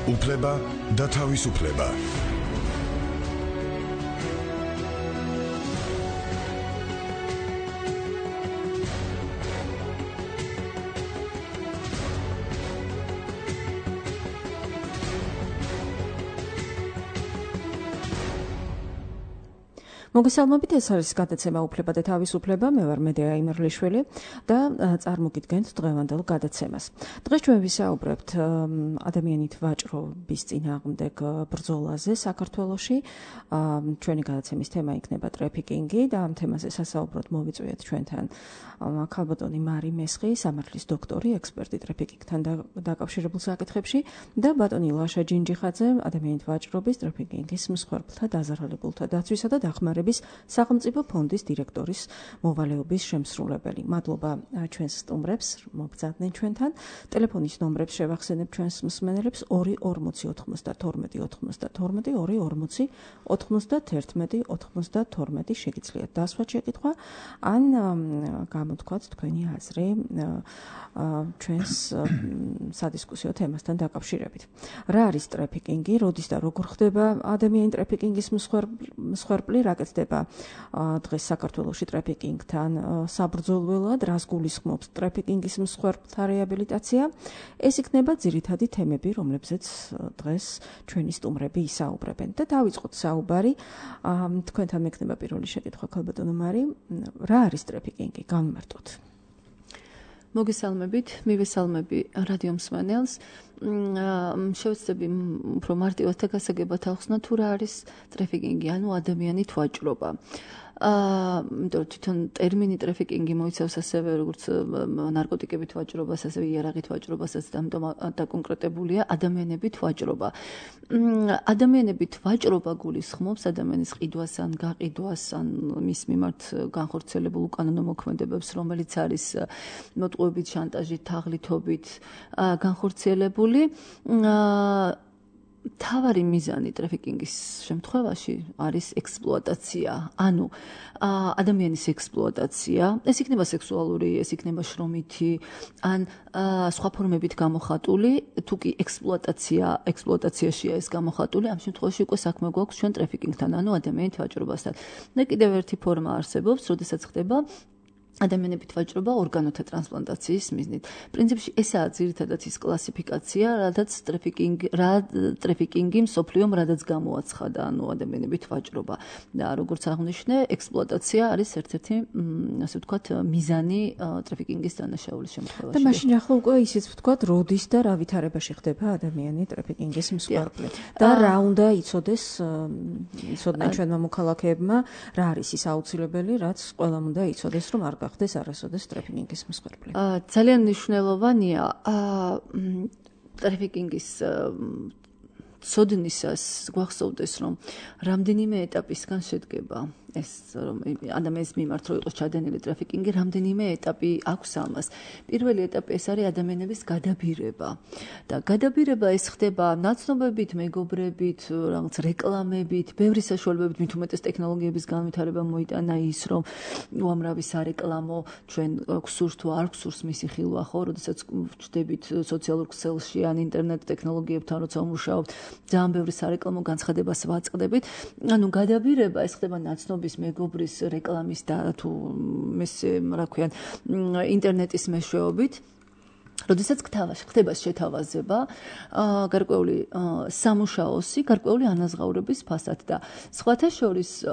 უფლება და თავისუფლება. მოგესალმებით, ეს არის გადაცემა უფლება და თავისუფლება. მე ვარ მედეა იმერლიშვილი და წარმოგიდგენთ დღევანდელ გადაცემას. დღეს ჩვენ ვისაუბრებთ ადამიანით ვაჭრობის წინააღმდეგ ბრძოლაზე საქართველოში. ჩვენი გადაცემის თემა იქნება ტრაფიკინგი და ამ თემაზე სასაუბროდ მოვიწვიეთ ჩვენთან ქალბატონი მარი მესხი, სამართლის დოქტორი, ექსპერტი ტრაფიკინგთან დაკავშირებულ საკითხებში და ბატონი ლაშა ჯინჯიხაძე, ადამიანით ვაჭრობის, ტრაფიკინგის მსხვერპლთა, დაზარალებულთა დაცვისა და დახმარების სახელმწიფო ფონდის დირექტორის მოვალეობის შემსრულებელი. მადლობა ჩვენს სტუმრებს, მოგზადდნენ ჩვენთან. ტელეფონის ნომრებს შევახსენებ ჩვენს მსმენელებს 240-240-291-92 შეგიძლიათ დასვათ შეკითხვა ან გამოთქვათ თქვენი აზრი ჩვენს სადისკუსიო თემასთან დაკავშირებით. რა არის ტრაფიკინგი, როდის და როგორ ხდება ადამიანი ტრაფიკინგის მსხვერპლი, რა კეთდება დღეს საქართველოში ტრაფიკინგთან საბრძოლველად, რას გულისხმობს ტრაფიკინგის მსხვერპლთა რეაბილიტაცია. ეს იქნება ძირითადი თემები, რომლებზეც დღეს ჩვენი სტუმრები ისაუბრებენ. და დავიწყოთ საუბარი. თქვენთან მექნება პირველი შეკითხვა, ქალბატონო მარი, რა არის ტრაფიკინგი? განმარტოთ. მოგესალმებით, მივესალმები რადიო მსმენელს. შევეცდები უფრო მარტივად და გასაგებად ავხსნა თუ რა არის ტრაფიკინგი, ანუ ადამიანით ვაჭრობა. თვითონ ტერმინი ტრაფიკინგი მოიცავს ასევე როგორც ნარკოტიკებით ვაჭრობას, ასევე იარაღით ვაჭრობასაც და ამიტომ დაკონკრეტებულია ადამიანებით ვაჭრობა. ადამიანებით ვაჭრობა გულისხმობს ადამიანის ყიდვას ან გაყიდვას ან მის მიმართ განხორციელებულ უკანონო მოქმედებებს, რომელიც არის მოტყუებით, შანტაჟით, თაღლითობით განხორციელებული. თავარი მიზანი ტრაფიკინგის შემთხვევაში არის ექსპლუატაცია, ანუ ადამიანის ექსპლუატაცია, ეს იქნება სექსუალური, ეს იქნება შრომითი, ან სხვა ფორმებით გამოხატული, თუ კი ექსპლუატაციაშია ეს გამოხატული, ამ შემთხვევაში უკვე საქმე გვაქვს ჩვენ ტრაფიკინგთან, ანუ ადამიანით ვაჭრობასთან. და კიდევ ერთი ფორმა არსებობს, როდესაც ხდება ადამიანებით ვაჭრობა ორგანოთა ტრანსპლანტაციის მიზნით. პრინციპში ესაა ძირითადად ის კლასიფიკაცია, რადგან ტრაფიკინგი მსოფლიომ რადაც გამოაცხადა, ანუ ადამიანებით ვაჭრობა. და როგორც აღნიშნე, ექსპლუატაცია არის ერთ-ერთი, ასე ვთქვათ, მიზანი ტრაფიკინგის დანაშაულის შემთხვევაში. და მაშინ ახლა უკვე ისიც ვთქვათ, როდის და რა ვითარებაში ხდება ადამიანი ტრაფიკინგის მსხვერპლი. და რა უნდა იცოდნენ ჩვენმა მოქალაქეებმა, რა არის ის აუცილებელი, რაც ყველამ უნდა იცოდეს, რომ არ გახდეს არასოდეს ტრაფიკინგის მსხვერპლი. ძალიან მნიშვნელოვანია ტრაფიკინგის ცოდნისას გვახსოვდეს, რომ რამდენიმე ეტაპისგან შედგება ეს ადამიანის მიმართ რო იყოს ჩადენილი ტრაფიკინგი, რამდენიმე ეტაპი აქვს ამას. პირველი ეტაპი ეს არის ადამიანების გადაბირება. და გადაბირება ეს ხდება ნაცნობებით, მეგობრებით, რაღაც რეკლამებით, ბევრი საშუალებებით, მით უმეტეს ტექნოლოგიების განვითარება მოიტანა ის, რომ უამრავი სარეკლამო ჩვენ გვსურს თუ არ გვსურს მისი ხილვა, ხო, როდესაც ვჩდებით სოციალურ ქსელში ან ინტერნეტ ტექნოლოგიებთან როცა ვმუშაობთ, ძალიან ბევრი სარეკლამო განცხადებას ვაწყდებით. ანუ გადაბირება ეს ხდება ნაცნობ მეგობრის რეკლამის და თუ მესე რა ქვიან ინტერნეტის მეშვეობით. როდესაც ხდება შეთავაზება, გარკვეული სამუშაოსი, გარკვეული ანაზღაურების ფასად და სხვათა შორის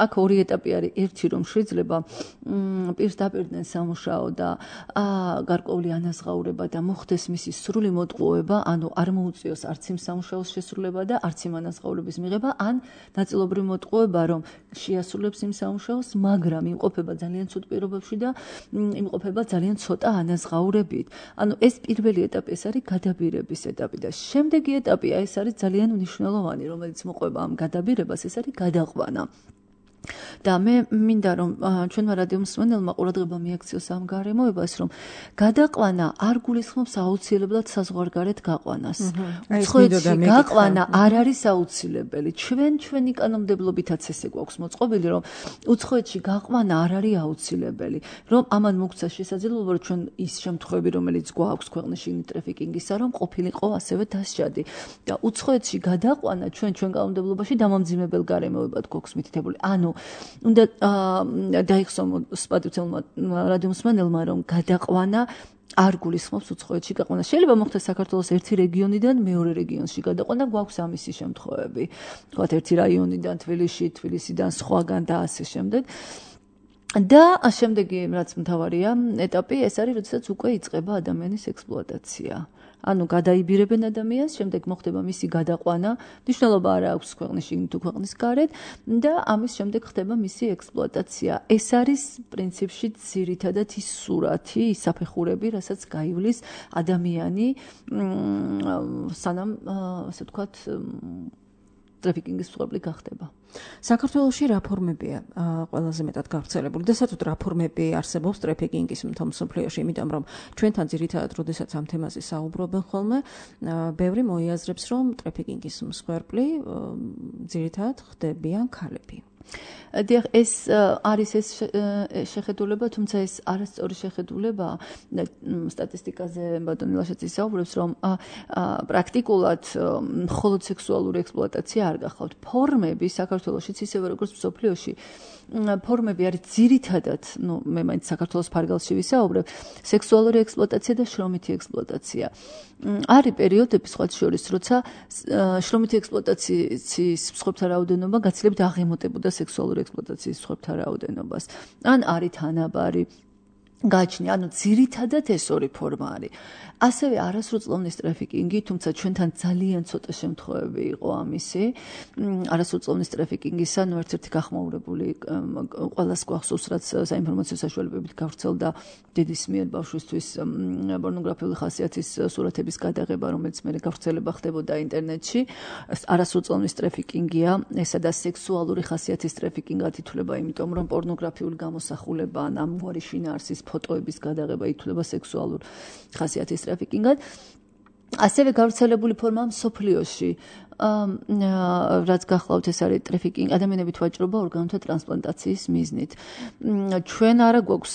აქ ორი ეტაპი არის. ერთი, რომ შეიძლება პირს დაპირდნენ სამუშაო და გარკვეული ანაზღაურება და მოხდეს მისი სრული მოტყუება, ანუ არ მოუწიოს არც იმ სამუშაოს შესრულება და არც იმ ანაზღაურების მიღება, ან ნაწილობრივ მოტყუება, რომ შეასრულებს იმ სამუშაოს, მაგრამ იმყოფება ძალიან ცუდ პირობებში და იმყოფება ძალიან ცოტა ანაზღაურებით. ანუ ეს პირველი ეტაპი ეს არის გადაბირების ეტაპი და შემდეგი ეტაპია ეს არის ძალიან მნიშვნელოვანი, რომელიც მოყვება ამ გადაბირებას, ეს არის გადაყვანა. და მე მინდა რომ ჩვენმა რადიო მსმენელმა ყურადღება მიაქციოს ამ გარემოებას, რომ გადაყვანა არ გულისხმობს აუცილებლად საზღვარგარეთ გაყვანას. უცხოეთში გაყვანა არ არის აუცილებელი. ჩვენი კანონმდებლობითაც ესე გვაქვს მოწყობილი, რომ უცხოეთში გაყვანა არ არის აუცილებელი. რომ ამან მოგცა შესაძლებლობა, რომ ჩვენ ის შემთხვევები, რომელიც გვაქვს ქვეყნის შიგნით ტრაფიკინგისა, რომ ყოფილიყო ასევე დასჯადი. და უცხოეთში გადაყვანა ჩვენ კანონმდებლობაში დამამძიმებელ გარემოებად გვაქვს მითითებული. ანუ უნდა დაიხსოვოს პატრიოტელმა რადიო მსმენელმა, რომ გადაყვანა არ გულისხმობს უცხოეთში გაყვანა. შეიძლება მოხდეს საქართველოს ერთი რეგიონიდან მეორე რეგიონში გადაყვანა, გვაქვს ამისი შემთხვევები. თქვათ ერთი რაიონიდან თბილისიდან სხვაგან და ასე შემდეგ. და შემდეგი რაც მთავარია ეტაპი ეს არის, როდესაც უკვე იწყება ადამიანის ექსპლუატაცია. ანუ გადაიბირებენ ადამიანს, შემდეგ მოხდება მისი გადაყვანა, მნიშვნელობა არ აქვს ქვეყნის შიგნით თუ ქვეყნის გარეთ და ამის შემდეგ ხდება მისი ექსპლუატაცია. ეს არის პრინციპში ძირითადად ის სურათი, ის საფეხურები, რასაც გაივლის ადამიანი სანამ ასე ვთქვათ ტრაფიკინგის მსხვერპლი გახდება. საქართველოში რა ფორმებია ყველაზე მეტად გავრცელებული და საერთოდ რა ფორმები არსებობს ტრაფიკინგის მთელ მსოფლიოში, იმიტომ რომ ჩვენთან ძირითადად როდესაც ამ თემაზე საუბრობენ ხოლმე, ბევრი მოიაზრებს, რომ ტრაფიკინგის მსხვერპლი ძირითადად ხდებიან ქალები. დიახ, ეს არის ეს შეხედულება, თუმცა ეს არასწორი შეხედულება. სტატისტიკაზე ბატონი ლაშაძე საუბრობს, რომ პრაქტიკულად მხოლოდ სექსუალური ექსპლუატაცია არ გახლავთ. ფორმები საქართველოშიც ისევე როგორც მსოფლიოში ფორმები არის ძირითადად, მე მაინც საქართველოს ფარგალში ვისაუბრებ, სექსუალური ექსპლუატაცია და შრომითი ექსპლუატაცია. არის პერიოდები სხვათა შორის, როცა შრომითი ექსპლუატაციის მსხვერპლთა რაოდენობა გაცილებით აღემატებოდა სექსუალური ექსპლუატაციის მსხვერპლთა რაოდენობას. ან არის თანაბარი გააჩნია, ანუ ძირითადად ეს ორი ფორმა არის. ასევე არასრულწლოვნის ტრაფიკინგი, თუმცა ჩვენთან ძალიან ცოტა შემთხვევები იყო ამისი. არასრულწლოვნის ტრაფიკინგისა, ერთ-ერთი გახმაურებული ყველას გვახსოვს, რაც საინფორმაციო საშუალებებით გავრცელდა დედის მიერ ბავშვისთვის პორნოგრაფიული ხასიათის სურათების გადაღება, რომელიც მე გავრცელება ხდებოდა ინტერნეტში. არასრულწლოვნის ტრაფიკინგია, ესა და სექსუალური ხასიათის ტრაფიკინგად ითვლება, იმიტომ რომ პორნოგრაფიული გამოსახულება ან ამგვარი შინაარსის ფოტოების გადაღება ითვლება სექსუალურ ხასიათის ტრაფიკინგად. ასევე გავრცელებული ფორმა მსოფლიოში, რაც გახლავთ, ეს არის ტრაფიკინგი, ადამიანებით ვაჭრობა ორგანოთა ტრანსპლანტაციის მიზნით. ჩვენ არა გვაქვს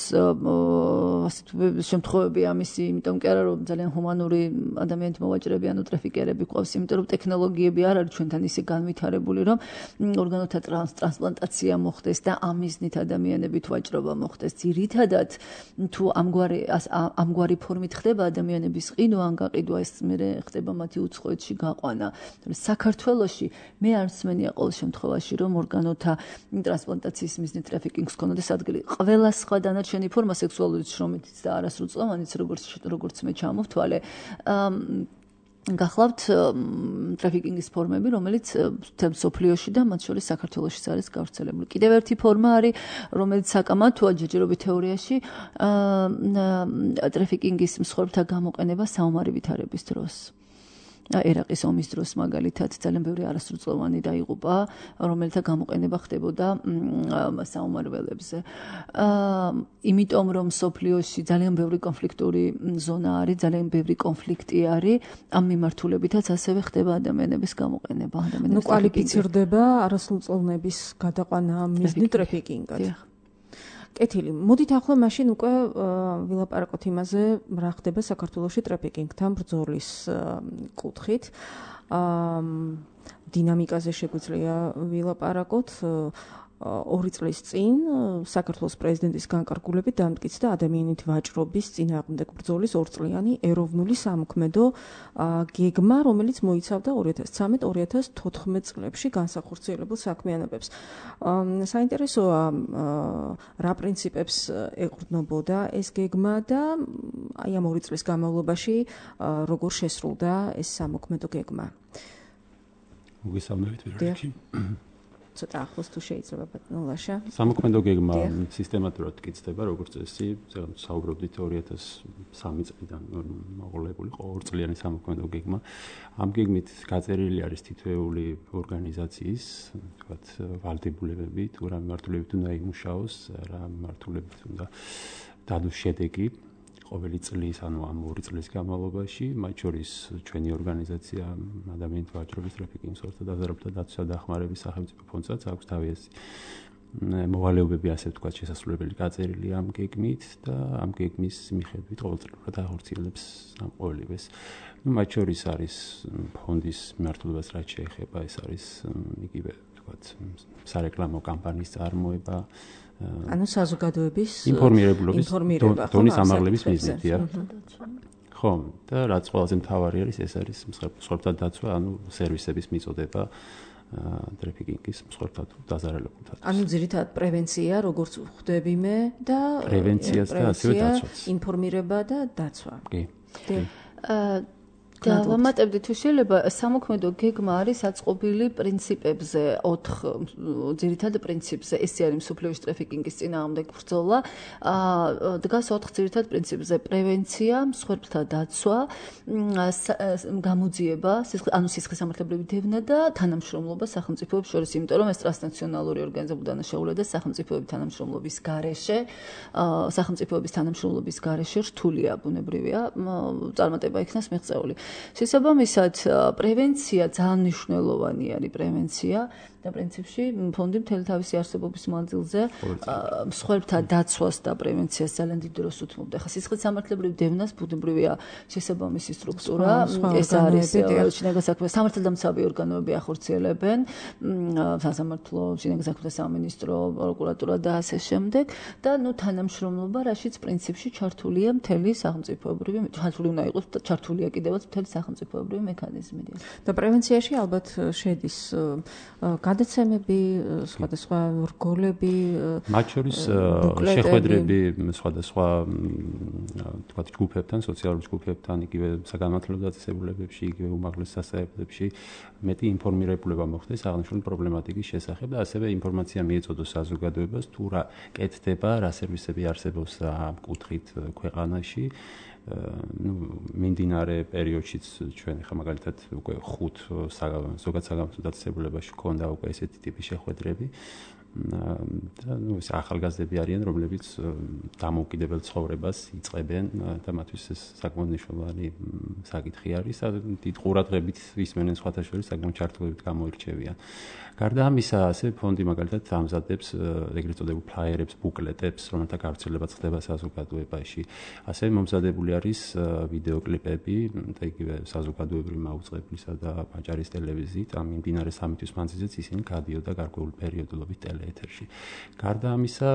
ასეთ შემთხვევები ამისი, იმიტომ კი არა რომ ძალიან ჰუმანური ადამიანით მოვაჭრები, ანუ ტრაფიკერები გვყავს, იმიტომ რომ ტექნოლოგიები არ არის ჩვენთან ისე განვითარებული, რომ ორგანოთა ტრანსპლანტაცია მოხდეს და ამ მიზნით ადამიანებით ვაჭრობა მოხდეს. ძირითადად თუ ამგვარი ფორმით ხდება ადამიანების ყიდვა, ან გაყიდვა, ეს მერე ხდება მათი უცხოეთში გაყვანა. საქართველოში მე არ მსმენია ყოველ შემთხვევაში, რომ ორგანოთა ტრანსპლანტაციის მიზნით ტრაფიკინგს ქონოდეს ადგილი. ყველა სხვა დანარჩენი ფორმა სექსუალური შრომითიც და არასრულწლოვანიც, როგორც მე ჩამოვთვალე, გახლავთ ტრაფიკინგის ფორმები, რომელიც მთელ მსოფლიოში და მათ შორის საქართველოშიც არის გავრცელებული. კიდევ ერთი ფორმა არის, რომელიც საკამათოა ჯერჯერობით თეორიაში, ტრაფიკინგის მსხვერპლთა გამოყენება საომარი ვითარების დროს. ერაყის ომის დროს მაგალითად ძალიან ბევრი არასრულწლოვანი დაიღუპა, რომელთა გამოყენება ხდებოდა საომარ ველებზე. იმიტომ რომ სოფლიოში ძალიან ბევრი კონფლიქტური ზონა არის, ძალიან ბევრი კონფლიქტი არის, ამ მიმართულებითაც ასევე ხდება ადამიანების გამოყენება. კვალიფიცირდება არასრულწლოვნების გადაყვანა მიზნით ტრაფიკინგად. კეთილი. მოდით ახლა მაშინ უკვე ვილაპარაკოთ იმაზე, რა ხდება საქართველოში ტრაფიკინგთან ბრძოლის კუთხით. დინამიკაზე შეგვიძლია ვილაპარაკოთ. 2 წლის წინ საქართველოს პრეზიდენტის განკარგულებით დამტკიცდა ადამიანით ვაჭრობის წინააღმდეგ ბრძოლის 2 წლიანი ეროვნული სამოქმედო გეგმა, რომელიც მოიცავდა 2013-2014 წლებში განსახორციელებულ საქმიანობებს. საინტერესოა, რა პრინციპებს ეყრდნობოდა ეს გეგმა და აი ამ 2 წლის განმავლობაში როგორ შესრულდა ეს სამოქმედო გეგმა. მოგესალმებით პირველ რიგში. ცოტა ახლოს თუ შეიძლება ბატონო ლაშა. სამოქმედო გეგმა სისტემატურად კიცდება, როგორც წესი, საუბრობდით 2003 წლიდან მოყოლებული ორწლიანი სამოქმედო გეგმა. ამ გეგმით გაწერილი არის თითოეული ორგანიზაციის, თქვათ, ვალდებულებები, თუ რა მიმართულებით უნდა იმუშაოს, რა მიმართულებით უნდა დადოს შედეგი ყოველი წლის, ანუ ამ 2 წლის განმავლობაში, მათ შორის ჩვენი ორგანიზაცია ადამიანთა ვაჭრობის ტრაფიკინგის მსხვერპლთა დაზარალებულთა დაცვისა და დახმარების სახელმწიფო ფონდსაც აქვს თავისი მოვალეობები, ასე ვთქვათ, შესასრულებელი გაწერილი ამ გეგმით და ამ გეგმის მიხედვით ყოველწლიურად ახორციელებს ამ ყოველივეს. მათ შორის არის ფონდის მიმართულებას რაც შეეხება, ეს არის იგივე, ვთქვათ, სარეკლამო კამპანიის წარმოება, ანუ საზოგადოების ინფორმირებულობის დონის ამაღლების მიზნით. ხო, და რაც ყველაზე მთავარი არის, ეს არის მსხვერპლთა დაცვა, ანუ სერვისების მიწოდება ტრაფიკინგის მსხვერპლთა დაზარალებულთა. ანუ ძირითადად პრევენცია, როგორც ხვდები მე და პრევენციას და ასევე დაცვას. ინფორმირება და დაცვა. კი. და ვამატებდი თუ შეიძლება სამოქმედო გეგმა არის აწყობილი პრინციპებზე, 4 ძირითად პრინციპზე. ეს არის მსოფლიოს ტრაფიკინგის წინააღმდეგ ბრძოლა. დგას 4 ძირითად პრინციპზე: პრევენცია, მსხვერპლთა დაცვა, გამოძიება, ანუ სისხლისამართლებრივი დევნა და თანამშრომლობა სახელმწიფოებს შორის, იმიტომ რომ ეს ტრანსნაციონალური ორგანიზებული დანაშაულია და სახელმწიფოების თანამშრომლობის გარეშე, სახელმწიფოების თანამშრომლობის გარეშე რთულია, ბუნებრივია, წარმატება იქნას მიღწეული. შესაბამისად, პრევენცია ძალიან მნიშვნელოვანი არის პრევენცია და პრინციპში ფონდი მთელი თავისი არსებობის მანძილზე მსხვერპლთა დაცვას და პრევენციას ძალიან დიდ დროს უთმობდა. ხა სისხლისამართლებრივ დევნას ბუნებრივია შესაბამისი სტრუქტურა, ეს არის შინაგან საქმეთა სამართალდამცავი ორგანოები ახორციელებენ, სასამართლო, შინაგან საქმეთა სამინისტრო, პროკურატურა და ასე შემდეგ და თანამშრომლობა, რაშიც პრინციპში ჩართულია მთელი სახელმწიფოებრივი, ჩართული უნდა იყოს, ჩართულია კიდევაც მთელი სახელმწიფოებრივი მექანიზმები. და პრევენციაში ალბათ შედის გადაცემები, სხვადასხვა რგოლები, მათ შორის შეხვედრები სხვადასხვა თქვათ ჯგუფებთან, სოციალურ ჯგუფებთან, იგივე საგანმანათლებლო დაწესებულებებში, იგივე უმაღლეს სასწავლებლებში მეტი ინფორმირებულება მოხდეს აღნიშნული პრობლემატიკის შესახებ და ასევე ინფორმაცია მიეწოდოს საზოგადოებას თუ რა კეთდება, რა სერვისები არსებობს ამ კუთხით ქვეყანაში. მიმდინარე პერიოდშიც ჩვენ ხა მაგალითად უკვე 5 ზოგად საგანმანათლებლო დაწესებულებაში ქონდა უკვე ესეთი ტიპის შეხვედრები და ეს ახალგაზრდები არიან, რომლებიც დამოუკიდებელ ცხოვრებას იწყებენ და მათთვის ეს საკმაოდ მნიშვნელოვანი საკითხი არის და დიდ ყურადღებით ისმენენ სხვათა შორის საკმაოდ ჩართულებით გამოირჩევიან. გარდა ამისა, ასე ფონდი მაგალითად ამზადებს ეგრეთ წოდებულ ფლაიერებს, ბუკლეტებს, რომელთა გავრცელებაც ხდება საზოგადოებაში. ასევე მომზადებული არის ვიდეოკლიპები და იგივე საზოგადოებრივი მაუწყებლისა და ვაჭარის ტელევიზიით, ამ მიმდინარე 3 თვის მანძილზეც ისინი გადიოდა გარკვეული პერიოდულობით ტელეეთერში. გარდა ამისა,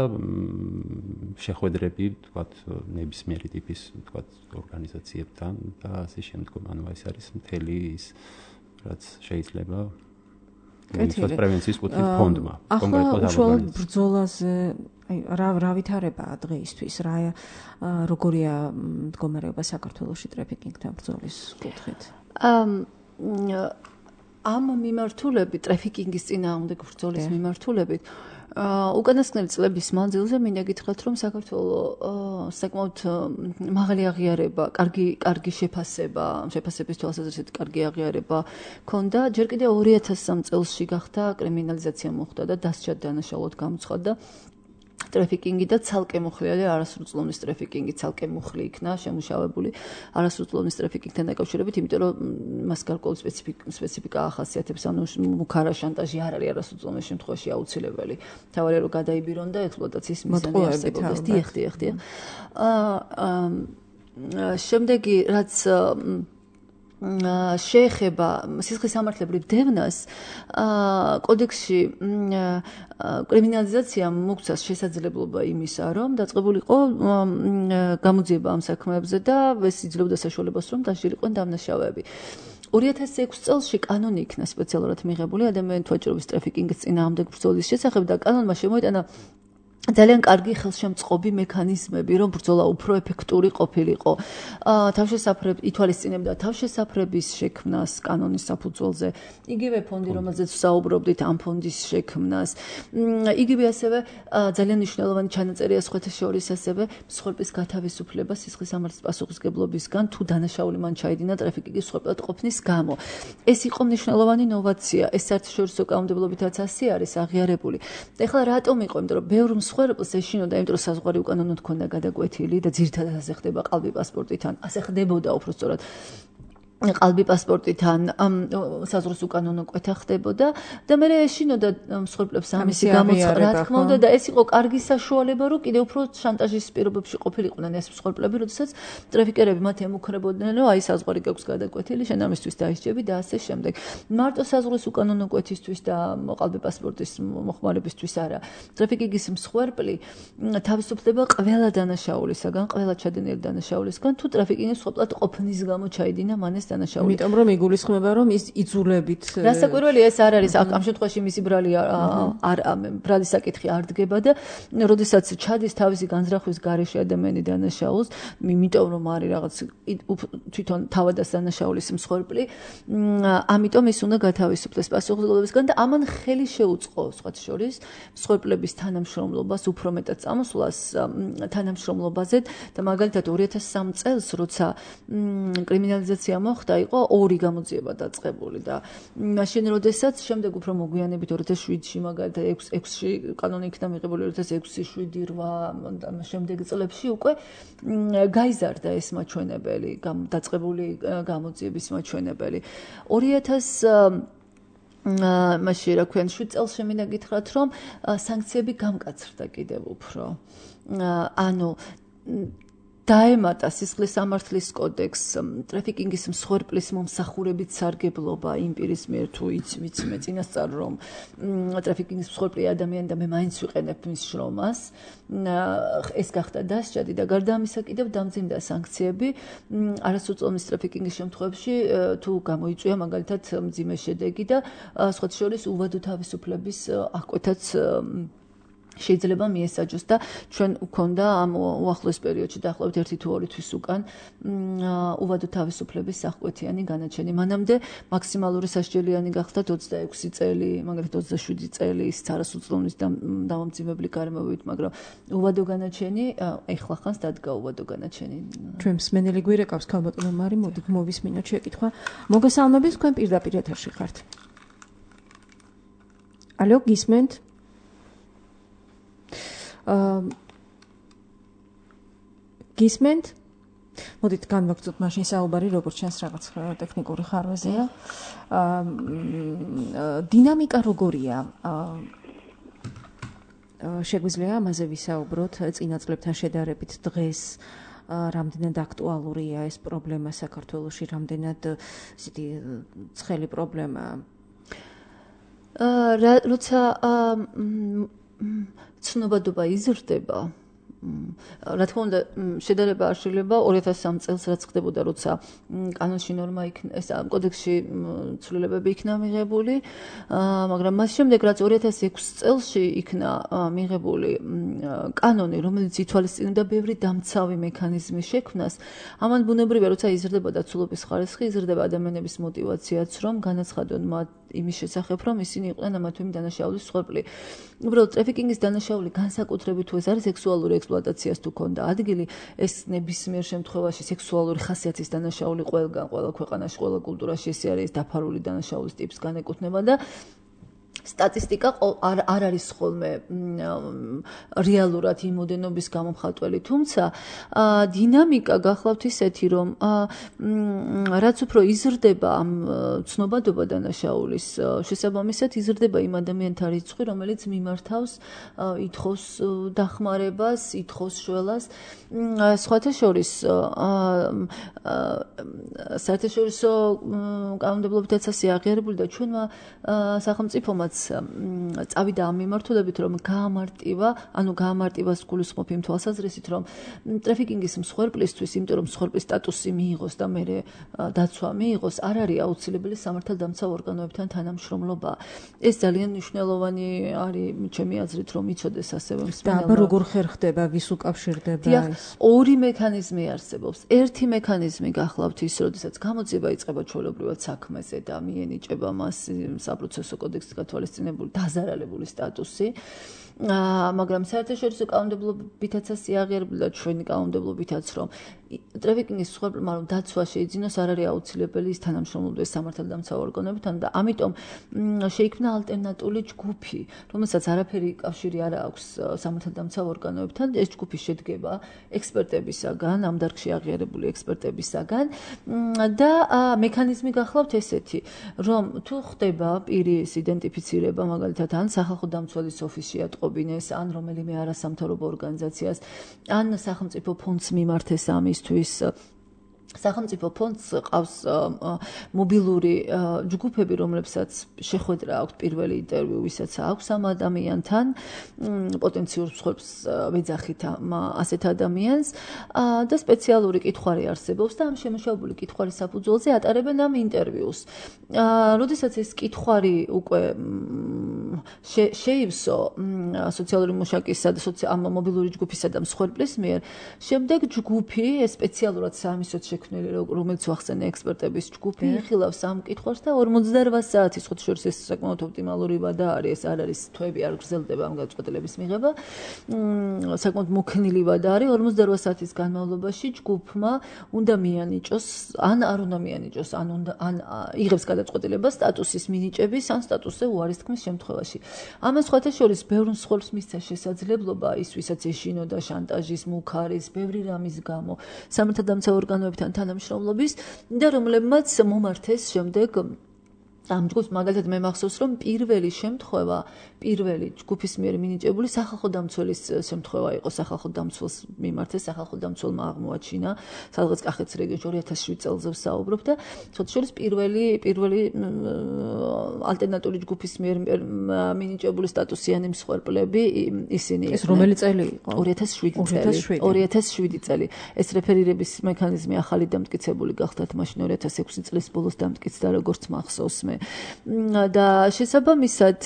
შეხვედრები, თქვათ, ნებისმიერი ტიპის, თქვათ, ორგანიზაციებთან და ასე შემდგომ, ანუ ეს არის მთელი ის, რაც შეიძლება ეს პრევენციის კუთხით ფონდმა კონკრეტულად უშუალოდ ბრძოლაზე რა ვითარებაა დღეისთვის, როგორია მდგომარეობა საქართველოში ტრაფიკინგთან ბრძოლის კუთხით? ამ მიმართულებით, ტრაფიკინგის წინააღმდეგ ბრძოლის მიმართულებით უკანასკნელი წლების მანძილზე მინდა გითხრათ, რომ საქართველოს საკმაოდ მაღალი აღიარება, კარგი შეფასების თვალსაზრისით კარგი აღიარება ქონდა. ჯერ კიდევ 2003 წელსში გახდა კრიმინალიზაცია მოხდა და დასჯა დანაშაულად გამოცხადდა ტრაფიკინგი და ცალკე მოხლილი არასრულწლოვნის ტრაფიკინგი ცალკე მოხლი იქნა შემუშავებული არასრულწლოვნის ტრაფიკინგთან დაკავშირებით, იმიტომ რომ მას გარკვეული სპეციფიკა ახასიათებს, ანუ მუქარა შანტაჟი არ არის არასრულწლოვნის შემთხვევაში აუცილებელი. თავარია რომ გადაიბირონ და ექსპლუატაციის მიზანი არსებობს. დიახ. შემდეგი რაც შეეხება სისხლისამართლებრივ დევნას, კოდექსში კრიმინალიზაციამ მოგცეს შესაძლებლობა იმისა, რომ დაწყებულიყო გამოძიება ამ საქმეებზე და ეს იძლეოდა საშუალებას, რომ დასჯილიყვნენ დამნაშავეები. 2006 წელს კანონი იქნა სპეციალურად მიღებული ადამიანთა ვაჭრობის ტრაფიკინგის წინააღმდეგ ბრძოლის შესახებ და კანონმა შემოიტანა ძალიან კარგი ხელშემწყობი მექანიზმები, რომ ბრძოლა უფრო ეფექტური ყოფილიყო. თავშესაფრები ითვალისწინებდა თავშესაფრების შექმნას კანონის საფუძველზე. იგივე ფონდი, რომელზეც ვსაუბრობდით, ამ ფონდის შექმნას. იგივე ასევე ძალიან მნიშვნელოვანი ჩანაწერია სხვათა შორის ასევე მსხვერპლის გათავისუფლება სისხლის სამართლის პასუხისმგებლობისგან, თუ დანაშაული მან ჩაიდინა ტრაფიკინგის მსხვერპლად ყოფნის გამო. ეს იყო მნიშვნელოვანი ინოვაცია. ეს საერთაშორისო კანონმდებლობითაც ასე არის აღიარებული. ეხლა რატომ იყო? იმიტომ რომ ბევრ მსხვერპლს ეშინოდა, იმიტომ რომ საზღვარი უკანონოდ ჰქონდა გადაკვეთილი და ძირითადად ასე ხდება ყალბი პასპორტიდან. ასე ხდებოდა უფრო სწორად. ყალბი პასპორტიდან საზღვრის უკანონო კვეთა ხდებოდა და მე ეშინოდა მსხვერპლებს ამისი გამოცხადა, რა თქმა უნდა, და ეს იყო კარგი საშუალება, რომ კიდევ უფრო შანტაჟის პირობებში ყოფილიყვნენ ეს მსხვერპლები, როდესაც ტრაფიკერები მათ ემუქრებოდნენ, რომ აი საზღვარი გაქვს გადაკვეთილი, შენ ამისთვის დაისჯები და ასე შემდეგ. მარტო საზღვრის უკანონო კვეთისთვის და ყალბი პასპორტის მოხმარებისთვის არა. ტრაფიკინგის მსხვერპლი თავისუფლდება ყველა დანაშაულისაგან, ყველა ჩადენილი დანაშაულისგან, თუ ტრაფიკინგის მსხვერპლად ყოფნის გამო ჩაიდინა მან ეს დანაშაული. იმიტომ რომ იგულისხმება, რომ ის იძულებით. რასაკვირველია, ეს არ არის. ამ შემთხვევაში მისი ბრალი საკითხი არ დგება და როდესაც ჩადის თავისი განზრახვის გარეშე ადამიანი დანაშაულს, იმიტომ რომ არის რაღაც თვითონ თავადას დანაშაულის მსხვერპლი, ამიტომ ის უნდა გათავისუფლდეს პასუხისმგებლობისგან და ამან ხელი შეუწყო სხვათა შორის მსხვერპლების თანამშრომლობას, უფრო მეტად წამოსვლას თანამშრომლობაზე და მაგალითად 2003 წელს, როცა კრიმინალიზაცია მოხდა, იყო 2 გამოძიება დაწყებული და მაშინ როდესაც შემდეგ უფრო მოგვიანებით 2007-ში მაგალითად 6-ში კანონი იქნა მიღებული 2006-ში 7-8 შემდეგ წლებში უკვე გაიზარდა ეს მაჩვენებელი, დაწყებული გამოძიების მაჩვენებელი. 2000 მაშინ რა ქვია 7 წელს შემინდა გითხრათ, რომ სანქციები გამკაცრდა კიდევ უფრო. ანუ დაემატა სისხლის სამართლის კოდექს ტრაფიკინგის მსხვერპლის მომსახურებით სარგებლობა იმ პირის მიერ, თუ ვიცი წინასწარ რომ ტრაფიკინგის მსხვერპლი ადამიანი და მე მაინც ვიყენებ მის შრომას, ეს გახდა დასჯადი და გარდა ამისა კიდევ დამძიმდა სანქციები არასრულწლოვანი ტრაფიკინგის შემთხვევებში, თუ გამოიწვია მაგალითად მძიმე შედეგი და სხვათა შორის უვადო თავისუფლების აღკვეთაც შეიძლება მიესაჯოს და ჩვენ გვქონდა ამ უახლოეს პერიოდში დაახლოებით 1 თუ 2 თვის უკან უვადო თავისუფლების აღკვეთიანი განაჩენი. მანამდე მაქსიმალური სასჯელიანი გახდა 26 წელი, მაგალითად 27 წელი ის არასრულწლოვანის დამამძიმებელი გარემოებით, მაგრამ უვადო განაჩენი ეხლა ხანს დადგა უვადო განაჩენი. ჩვენ მსმენელი გვირეკავს ქალბატონო მარი, მოდით მოვისმინოთ შეკითხვა. მოგესალმებით, თქვენ პირდაპირ ეთერში ხართ. ალო, გისმენთ? გისმენთ? მოდით განვაგრძოთ მაშინ საუბარი, როგორც ჩანს რაღაც ტექნიკური ხარვეზეა. დინამიკა როგორია? შეგვიძლია ამაზე ვისაუბროთ წინა წლებთან შედარებით დღეს რამდენად აქტუალურია ეს პრობლემა საქართველოში, რამდენად ისეთი ცხელი პრობლემაა? როცა ცნობადობა იზრდება, რა თქმა უნდა, შედარება არ შეიძლება 2003 წელს რაც ხდებოდა, როცა კანონში ნორმა იქნა, ეს კოდექსში ცვლილებები იქნა მიღებული, მაგრამ მას შემდეგ რაც 2006 წელში იქნა მიღებული კანონი, რომელიც ითვალისწინებდა ბევრი დამცავი მექანიზმის შექმნას, ამან ბუნებრივია, როცა იზრდება დაცულობის ხარისხი, იზრდება ადამიანების мотиваციაც, რომ განაცხადონ მათ იმის შესახებ, რომ ისინი იყვნენ ამა თუ იმ დანაშაულის მსხვერპლი. უბრალოდ ტრაფიკინგის დანაშაული განსაკუთრებით თუ ეს არის სექსუალური ექსპლუატაციას თუ ქონდა ადგილი, ეს ნებისმიერ შემთხვევაში სექსუალური ხასიათის დანაშაული ყველგან, ყველა ქვეყანაში, ყველა კულტურაში ეს არის დაფარული დანაშაულის ტიპს განეკუთვნება და სტატისტიკა არ არის ხოლმე რეალურად იმ მოდენობის გამომხატველი, თუმცა დინამიკა გახლავთ ისეთი, რომ რაც უფრო იზრდება ამ ცნობადობა დანაშაულის შესაბამისად იზრდება იმ ადამიანთა რიცხვი, რომელიც მიმართავს, ითხოვს დახმარებას, ითხოვს შველას. სხვათა შორის საერთაშორისო კანონმდებლობითაც ასე აღიარებული და ჩვენმა სახელმწიფომა რომელმაც წავიდა ამ მიმართულებით, რომ გაამარტივას გულისხმობ იმ თვალსაზრისით, რომ ტრაფიკინგის მსხვერპლისთვის, იმიტომ რომ მსხვერპლის სტატუსი მიიღოს და მერე დაცვა მიიღოს, არ არის აუცილებელი სამართალდამცავ ორგანოებთან თანამშრომლობა. ეს ძალიან მნიშვნელოვანი არის ჩემი აზრით, რომ იცოდეს ასევე მსმენელმა. და როგორ ხერხდება, ვის უკავშირდება ეს? ორი მექანიზმი არსებობს. ერთი მექანიზმი გახლავთ ის, როდესაც გამოძიება იწყება ჩვეულებრივად საქმეზე და მიენიჭება მას საპროცესო კოდექსით გათვალისწინებული დაზარალებული სტატუსი. მაგრამ საერთაშორისო კანონმდებლობითაც იაღიარებულა ჩვენი კანონმდებლობითაც, რომ ტრაფიკინგის მსხვერპლმა რომ დაცვა შეიძინოს, არ არის აუცილებელი ის თანამშრომლობდეს სამართალდამცავ ორგანოებთან და ამიტომ შეიქმნა ალტერნატიული ჯგუფი, რომელსაც არაფერი კავშირი არ აქვს სამართალდამცავ ორგანოებთან. ეს ჯგუფი შედგება ექსპერტებისაგან, ამ დარგში აღიარებული ექსპერტებისაგან და მექანიზმი გახლავთ ესეთი, რომ თუ ხდება პირის იდენტიფიცირება, მაგალითად, ან სახალხო დამცველის ოფისში ატყობინეს, ან რომელიმე არასამთავრობო ორგანიზაციას, ან სახელმწიფო ფონდს მიმართეს ამისთვის. სახელმწიფო ფონდს ყავს მობილური ჯგუფები, რომლებსაც შეხვედრა აქვს პირველი ინტერვიუ, ვისაც აქვს ამ ადამიანთან, პოტენციურ მსხვერპლს ვეძახით ასეთ ადამიანს და სპეციალური კითხვარი არსებობს და ამ შემოშავებული კითხვარის საფუძველზე ატარებენ ამ ინტერვიუს. როდესაც ეს კითხვარი უკვე შეივსო სოციალური მუშაკისა და ამ მობილური ჯგუფისა და მსხვერპლის მიერ, შემდეგ ჯგუფი სპეციალურად საამისოდ რომელიც ვახსენე ექსპერტების ჯგუფი იხილავს ამ კითხვას და 48 საათის ხუთშორის ეს საკმაოდ ოპტიმალური ვადა არის, ეს არ არის თვეები არ გრძელდება ამ გადაწყვეტილების მიღება. საკმაოდ მოქნილი ვადა არის 48 საათის განმავლობაში ჯგუფმა უნდა მიანიჭოს, ან არ უნდა მიანიჭოს, ან იღებს გადაწყვეტილებას სტატუსის მინიჭების, ან სტატუსზე უარის თქმის შემთხვევაში. ამას სხვათა შორის ბევრ მსხვერპლს მისცა შესაძლებლობა ის, ვისაც ეშინოდა შანტაჟის, მუქარის, ბევრი რამის გამო სამართალდამცავ ორგანოებთან თანამშრომლობის და რომლებმაც მომართეს შემდეგ ამ ჯგუფს. მაგალითად მე მახსოვს, რომ პირველი შემთხვევა, პირველი ჯგუფის მიერ მინიჭებული სახალხო დამცველის შემთხვევა იყო. სახალხო დამცველს მიმართეს, სახალხო დამცველმა აღმოაჩინა სადღაც კახეთის რეგიონში 2007 წელს ვსაუბრობ და შორის პირველი ალტერნატიული ჯგუფის მიერ მინიჭებული სტატუსიანი მსხვერპლები ისინი ეს რომელი წელი იყო? 2007 წელი. ეს რეფერირების მექანიზმი ახალი დამტკიცებული გახდათ მაშინ 2006 წლის ბოლოს დამტკიცდა, როგორც მახსოვს მე. და შესაბამისად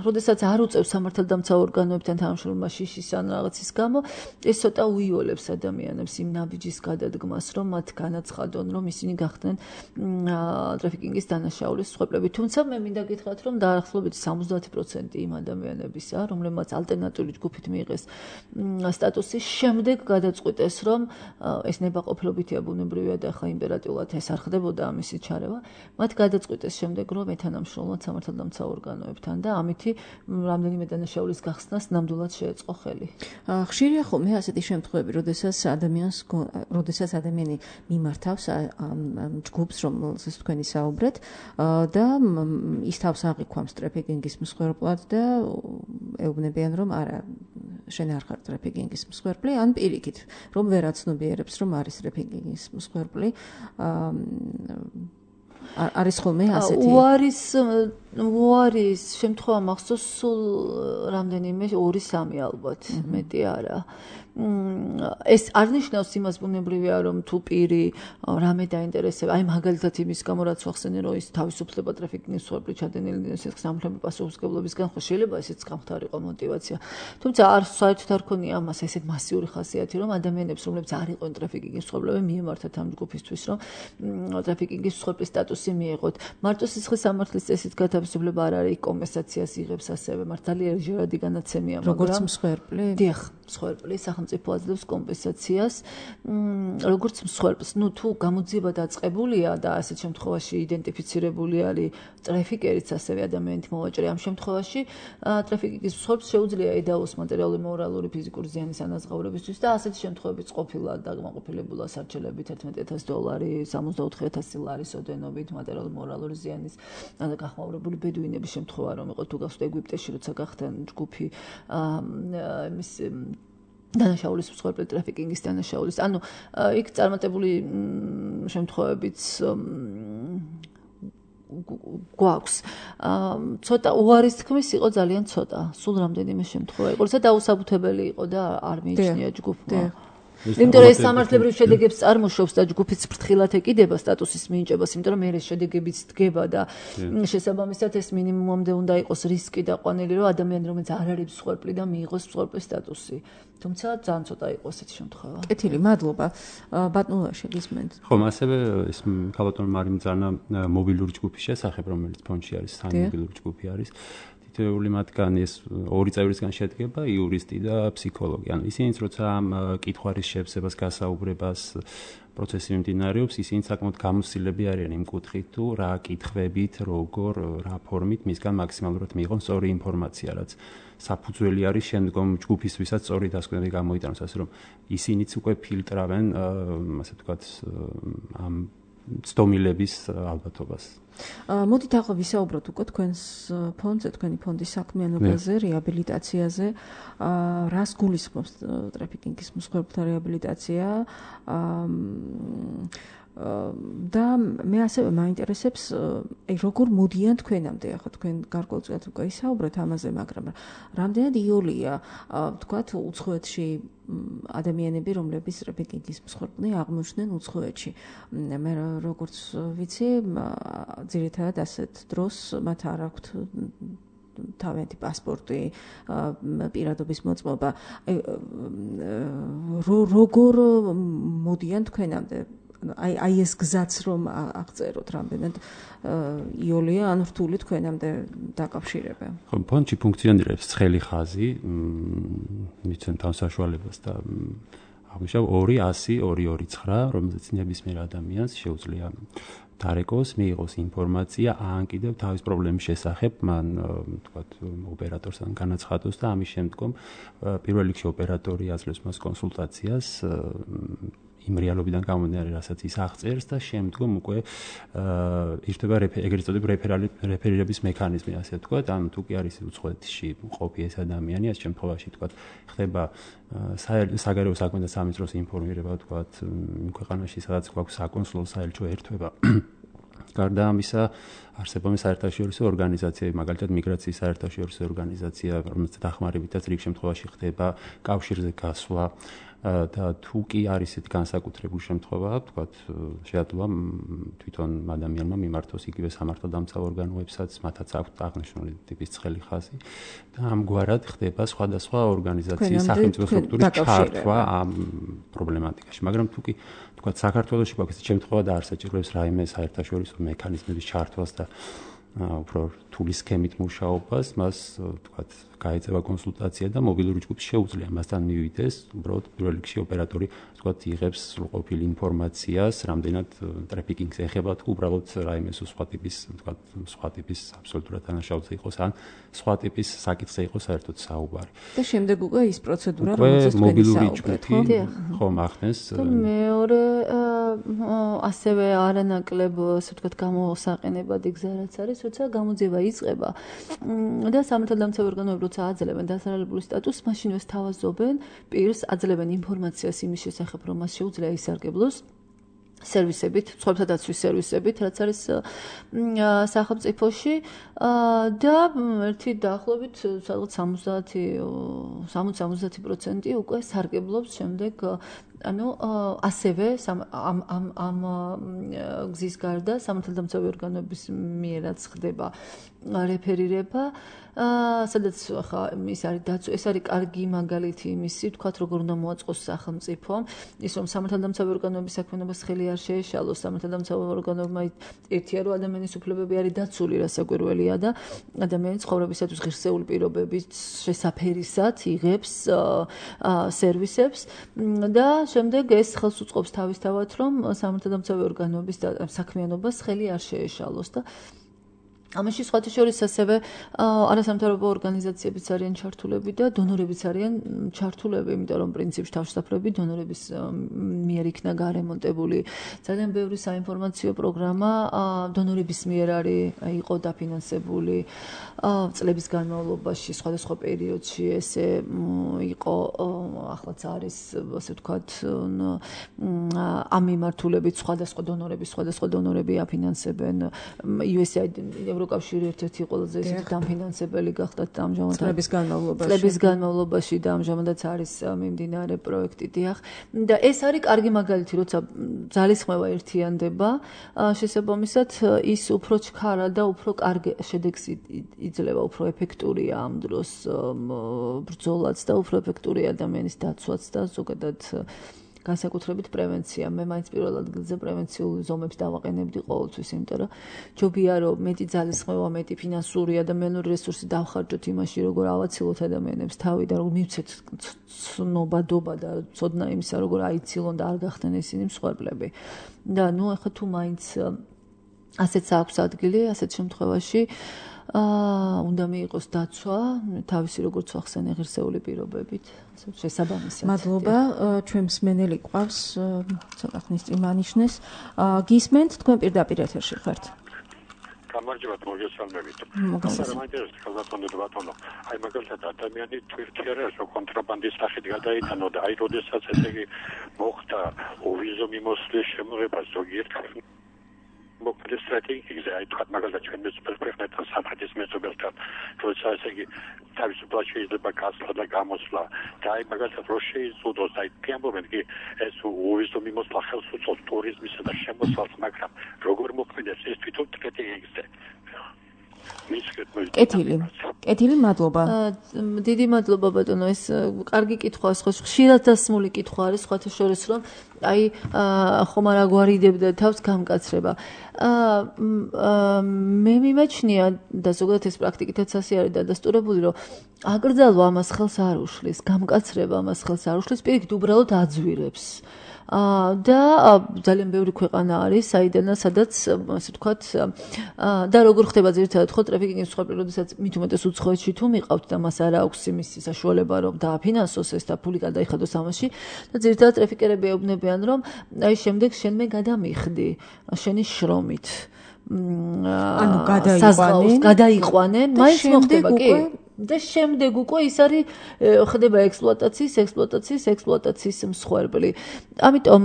როდესაც არ უწევს სამართალდამცავ ორგანოებთან თანამშრომლობა შიშის ან რაღაცის გამო, ეს ცოტა უიოლებს ადამიანებს იმ ნაბიჯის გადადგმას, რომ მათ განაცხადონ, რომ ისინი გახდნენ ტრაფიკინგის დანაშაულის მსხვერპლები. თუმცა მე მინდა გითხრათ, რომ დაახლოებით 70% იმ ადამიანებისა, რომლებმაც ალტერნატიული ჯგუფით მიიღეს სტატუსი, შემდეგ გადაწყვიტეს, რომ ეს ნებაყოფლობითია, ბუნებრივია და ახლა იმპერატიულად ეს არ ხდებოდა ამისი ჩარევა, მათ გადაწყვიტეს შემდეგ, რომ ეთანამშრომლოთ სამართალდამცავ ორგანოებთან და ამითი რამდენიმე დანაშაულის გახსნას ნამდვილად შეეწყო ხელი. ხშირია ხოლმე ასეთი შემთხვევები, როდესაც ადამიანი მიმართავს ჯგუფს, რომელზეც თქვენი საუბრეთ და ის თავს აღიქვამს ტრაფიკინგის მსხვერპლად და ეუბნებიან, რომ არა, შენ არ ხარ ტრაფიკინგის მსხვერპლი, ან პირიქით, რომ ვერ აცნობიერებს, რომ არის ტრაფიკინგის მსხვერპლი. არის ხოლმე ასეთი? უარის შემთხვევა მახსოვს სულ რამდენიმე 2-3 ალბათ, მეტი არა. ეს არ ნიშნავს იმას, ბუნებრივია, რომ თუ პირი რამე დაინტერესება, აი მაგალითად იმის გამო რაც ვახსენე, რომ ის თავისუფლება ტრაფიკინგის მსხვერპლი ჩადენილი სამართლებრივი პასუხისმგებლობისგან, ხო შეიძლება ესეც გამხდარიყო мотиваცია. თუმცა საერთოდ არ ქონია ამას ესეთ მასიური ხასიათი, რომ ადამიანებს, რომლებიც არ იყვნენ ტრაფიკინგის მსხვერპლები, მიემართათ ამ ჯგუფისთვის, რომ ტრაფიკინგის მსხვერპლის სტატუსი მიიღოთ. მარტო სისხლის სამართლის წესით გათავისუფლება არ არის, კომპენსაციას იღებს ასევე, მართალია ჯერადი განაცემია, მაგრამ როგორც მსხვერპლი? დიახ, მსხვერპლი სახელმწიფო აძლევს კომპენსაციას, როგორც მსხვერპლს. ნუ თუ გამოძიება დაწყებულია და ასეთ შემთხვევაში იდენტიფიცირებული არის ტრაფიკერიც, ასევე ადამიანით მოვაჭრე, ამ შემთხვევაში ტრაფიკინგის მსხვერპლს შეუძლია ედაოს მატერიალური, მორალური, ფიზიკური ზიანის ანაზღაურებისთვის და ასეთი შემთხვევებიც ყოფილა დაკმაყოფილებულა სარჩელებით $11,000, 64,000 ლარის ოდენობით მატერიალური, მორალური ზიანის გახმაურებული ბედუინების შემთხვევა რომ იყო თუ გახსოვთ ეგვიპტეში, როცა გახდნენ ჯგუფი იმის დანაშაულის მსხვერპლი ტრაფიკინგის დანაშაულის. ანუ იქ წარმატებული შემთხვევებიც გვაქვს. ცოტა უარის თქმის იყო ძალიან ცოტა. სულ რამდენიმე შემთხვევა იყო, როცა დაუსაბუთებელი იყო და არ მიიჩნია ჯგუფმა. იმიტომ რომ ეს სამართლებრივ შედეგებს წარმოშობს და ჯგუფიც ფრთხილად ეკიდება სტატუსის მინიჭებას, იმიტომ რომ ეს შედეგებიც დგება და შესაბამისად ეს მინიმუმამდე უნდა იყოს რისკი და ყვანილი, რომ ადამიანი რომელიც არ არის მსხვერპლი და მიიღოს მსხვერპლის სტატუსი. თუმცა ძალიან ცოტა იყო ესეთი შემთხვევა. კეთილი, მადლობა. ბატონო შეგისმენთ. ხო, ასევე ეს ქალბატონმა არის მძანა მობილური ჯგუფის შესახებ, რომელიც ფონდში არის, მობილური ჯგუფი არის. თითოეული მათგანი ეს ორი წევრისგან შედგება, იურისტი და ფსიქოლოგი. ანუ ისინიც როცა ამ კითხვარის შევსებას გასაუბრებას პროცესი მიმდინარეობს, ისინი საკმაოდ გამოსილები არიან იმ კუთხით, თუ რა კითხვებით, როგორ, რა ფორმით მისგან მაქსიმალურად მიიღონ სწორი ინფორმაცია, რაც საფუძველი არის შემდგომ ჯგუფისთვისაც სწორი დასკვნები გამოიტანოს, ასე რომ ისინიც უკვე ფილტრავენ, ასე ვთქვათ, ამ ცდომილების ალბათობას. მოდით ახლა ვისაუბროთ უკვე თქვენს ფონდზე, თქვენი ფონდის საქმიანობაზე, რეაბილიტაციაზე. რას გულისხმობს ტრაფიკინგის მსხვერპლთა რეაბილიტაცია? და მე ასევე მაინტერესებს, როგორ მოდიან თქვენამდე, ახლა თქვენ გარკვეულწილად უკვე ისაუბრეთ ამაზე, მაგრამ რამდენად იოლია, ვთქვათ, უცხოეთში ადამიანები, რომლებიც ტრაფიკინგის მსხვერპლნი აღმოჩნდნენ უცხოეთში. მე როგორც ვიცი, ძირითადად ასეთ დროს მათ არ აქვთ თავიანთი პასპორტი, პირადობის მოწმობა. როგორ მოდიან თქვენამდე? აი ეს გზაც რომ აღწეროთ რამდენად იოლია ან რთული თქვენამდე დაკავშირება. ხო, ფონდში ფუნქციონირებს ცხელი ხაზი, მიცემთ ამ საშუალებას და აღნიშნავ 200-229, რომელზეც ნებისმიერ ადამიანს შეუძლია დარეკოს, მიიღოს ინფორმაცია, ან კიდევ თავის პრობლემის შესახებ, მან თქვათ ოპერატორთან განაცხადოს და ამის შემდგომ პირველ რიგში ოპერატორი აძლევს მას კონსულტაციას იმ რეალობიდან გამომდინარე, რასაც ის აღწერს და შემდგომ უკვე ირთვება ეგრეთ წოდებული რეფერირების მექანიზმი, ასე ვთქვათ, ან თუ კი არის უცხოეთში ყოფი ეს ადამიანი, ამ შემთხვევაში ვთქვათ, ხდება საგარეო საქმეთა სამინისტროს ინფორმირება, ვთქვათ, იმ ქვეყანაში, სადაც გვაქვს საკონსულო საელჩო ერთვება. გარდა ამისა, არსებობს საერთაშორისო ორგანიზაციები, მაგალითად მიგრაციის საერთაშორისო ორგანიზაცია, რომელიც დახმარებითაც რიგ შემთხვევაში ხდება კავშირზე გასვლა და თუ კი არის ისეთი განსაკუთრებული შემთხვევა, ვთქვათ, შეადლა თვითონ ადამიანმა მიმართოს იგივე სამართალდამცავ ორგანოებსაც, მათაც აქვთ აღნიშნული ტიპის ცხელი ხაზი და ამგვარად ხდება სხვადასხვა ორგანიზაციის სახელმწიფო სტრუქტურის ჩართვა ამ პრობლემატიკაში. მაგრამ თუ კი ვთქვათ, საქართველოში გვაქვს ესეთი შემთხვევა და არ საჭიროებს რაიმე საერთაშორისო მექანიზმების ჩართვას და უფრო რთული სქემით მუშაობას, მას ვთქვათ, გაეწევა კონსულტაცია და მობილური ჯგუფი შეუძლია მასთან მივიდეს, უბრალოდ პირველ რიგში ოპერატორი, ვთქვათ, იღებს სრულყოფილ ინფორმაციას, რამდენად ტრაფიკინგს ეხება, თუ უბრალოდ რაიმე სხვა ტიპის, ვთქვათ, სხვა ტიპის აბსოლუტურად დანაშაულზე იყოს, ან სხვა ტიპის საკითხზე იყოს საერთოდ საუბარი. და შემდეგ უკვე ის პროცედურა, რომელზეც თქვენი საუბრეთ, ხო, ახდენს. მეორე ასევე არანაკლებ, ასე ვთქვათ, გამოსაყენებადი გზა რაც არის, როცა გამოძიება იწყება და სამართალდამცავ ორგანოები როცა აძლევენ დასარალებული სტატუსს, მაშინვე სთავაზობენ პირს, აძლევენ ინფორმაციას იმის შესახებ, რომ მას შეუძლია ისარგებლოს სერვისებით, სხვათა დაცვის სერვისებით, რაც არის სახელმწიფოში და ერთი დაახლოებით სადღაც 60% უკვე სარგებლობს შემდეგ ანუ ასევე ამ გზის გარდა სამართალდამცავი ორგანოების მიერაც ხდება რეფერირება, სადაც ახლა ის არის დაცვა, ეს არის კარგი მაგალითი იმისი, თქვათ, როგორ უნდა მოაწყოს სახელმწიფო, ის რომ სამართალდამცავი ორგანოების საქმიანობას ხელი არ შეეშალოს, სამართალდამცავი ორგანოებმა ერთია რომ ადამიანის უფლებები არის დაცული, რასაკვირველია და ადამიანის ცხოვრებისათვის ღირსეული პირობების შესაფერისად იღებს სერვისებს და შემდეგ ეს ხელს უწყობს თავისთავად, რომ სამართალდამცავი ორგანოების საქმიანობას ხელი არ შეეშალოს და ამაში სხვათა შორის ასევე არასამთავრობო ორგანიზაციებიც არიან ჩართულები და დონორებიც არიან ჩართულები, იმიტომ რომ პრინციპში თავშესაფრები დონორების მიერ იქნა გარემონტებული. ძალიან ბევრი საინფორმაციო პროგრამა დონორების მიერ იყო დაფინანსებული წლების განმავლობაში, სხვადასხვა პერიოდში ესე იყო ახლაც არის ასე ვთქვათ ამ მიმართულებით სხვადასხვა დონორები აფინანსებენ USAID ევროკავშირი ერთ-ერთი ყველაზე ისეთი დამფინანსებელი გახდათ ამჟამად წლების განმავლობაში და ამჟამადაც არის მიმდინარე პროექტი დიახ და ეს არის კარგი მაგალითი როცა ძალისხმევა ერთიანდება შესაბამისად ის უფრო ჩქარა და უფრო კარგი შედეგს იძლევა უფრო ეფექტურია ამ დროს ბრძოლაც და უფრო ეფექტურია ადამიანის დაცვაც და ზოგადად განსაკუთრებით პრევენცია. მე მაინც პირველ ადგილზე პრევენციულ ზომებს დავაყენებდი ყოველთვის, იმიტომ რომ ჯობია რომ მეტი ძალისხმევა, მეტი ფინანსური, ადამიანური რესურსი დავხარჯოთ იმაში, როგორ ავაცილოთ ადამიანებს თავი და როგორ მივცეთ ცნობადობა და ცოდნა იმისა, როგორ აიცილონ და არ გახდნენ ისინი მსხვერპლები. და ნუ ახლა თუ მაინც ასეც აქვს ადგილი, ასეთ შემთხვევაში უნდა მიიღოს დაცვა თავისი როგორც ახსენე ღირსეული პირობებით შესაბამისად. მადლობა, ჩვენ მსმენელი ყავს, ცოტა ხნის წინ მანიშნეს. გისმენთ, თქვენ პირდაპირ ეთერში ხართ. გამარჯობათ, მოგესალმებით. მაინტერესებს ხალხამდე ბატონო. აი მაგალითად ადამიანი თვირთიერას კონტრაბანდის სახით გადაიტანო და აი როდესაც ესე იგი მოხდა ვიზო მიმოსვლის შემოღება ზოგიერთ მოკლე სტრატეგიაზე აი თქვა მაგალითად ჩვენ მეცობრებთან სამხრეთის მეცობრებთან როცა ესე იგი თავისუფლად შეიძლება გასვლა და გამოსვლა და აი მაგალითად რო შეიზღუდოს აი ამბობენ კი ეს ვიზო მიმოსვლა ხელს უწყობს ტურიზმისა და შემოსვლას მაგრამ როგორ მოქმედებს ეს თვითონ სტრატეგიაზე კეთილი, მადლობა. დიდი მადლობა ბატონო, ეს კარგი კითხვაა, ხშირად დასმული კითხვა არის, სხვათა შორის რომ აი ხომ არ აგვარიდებდა თავს გამკაცრება. მე მიმაჩნია და ზოგადად ეს პრაქტიკითაც ასე არის დადასტურებული, რომ აკრძალვა ამას ხელს არ უშლის, გამკაცრება ამას ხელს არ უშლის, პირიქით უბრალოდ აძვირებს. და ძალიან ბევრი ქვეყანა არის, სადაც ასე ვთქვათ, და როგორ ხდება ძირითადად ხო ტრაფიკინგის მსხვერპლი, როდესაც მით უმეტეს უცხოეთში თუ მიყავთ და მას არ აქვს იმის საშუალება, რომ დააფინანსოს ეს და ფული გადაიხადოს ამაში და ძირითადად ტრაფიკერები ეუბნებიან, რომ აი შემდეგ შენ მე გადამიხდი შენი შრომით. ანუ გადაიყვანენ, მაინც მოხდება კი? და შემდეგ უკვე ის არის ხდება ექსპლუატაციის მსხვერპლი. ამიტომ